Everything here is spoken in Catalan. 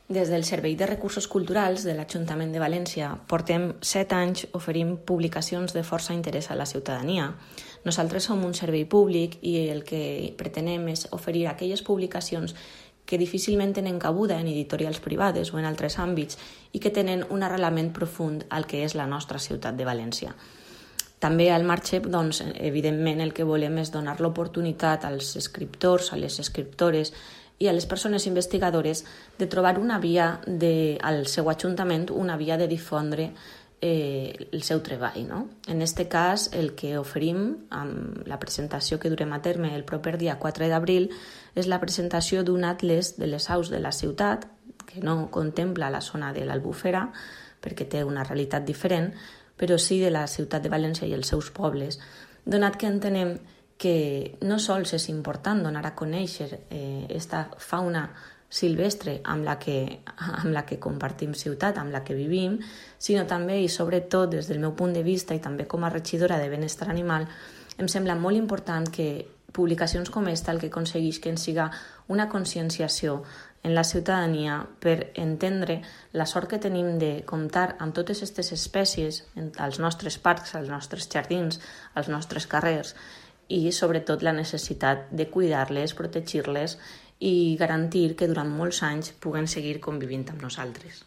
Des del Servei de Recursos Culturals de l'Ajuntament de València portem 7 anys oferint publicacions de força interès a la ciutadania. Nosaltres som un servei públic i el que pretenem és oferir aquelles publicacions que difícilment tenen cabuda en editorials privades o en altres àmbits i que tenen un arrelament profund al que és la nostra ciutat de València. També al marge, doncs, evidentment, el que volem és donar l'oportunitat als escriptors, a les escriptores i a les persones investigadores de trobar una via al seu ajuntament, una via de difondre el seu treball. No? En aquest cas, el que oferim amb la presentació que durem a terme el proper dia 4 d'abril és la presentació d'un atles de les aus de la ciutat, que no contempla la zona de l'Albufera, perquè té una realitat diferent, però sí de la ciutat de València i els seus pobles, donat que entenem que no sols és important donar a conèixer aquesta fauna silvestre amb la que compartim ciutat, amb la que vivim, sinó també i sobretot des del meu punt de vista i també com a regidora de benestar animal, em sembla molt important que publicacions com esta el que aconsegueix que ens siga una conscienciació en la ciutadania per entendre la sort que tenim de comptar amb totes aquestes espècies als nostres parcs, als nostres jardins, als nostres carrers i sobretot la necessitat de cuidar-les, protegir-les i garantir que durant molts anys puguen seguir convivint amb nosaltres.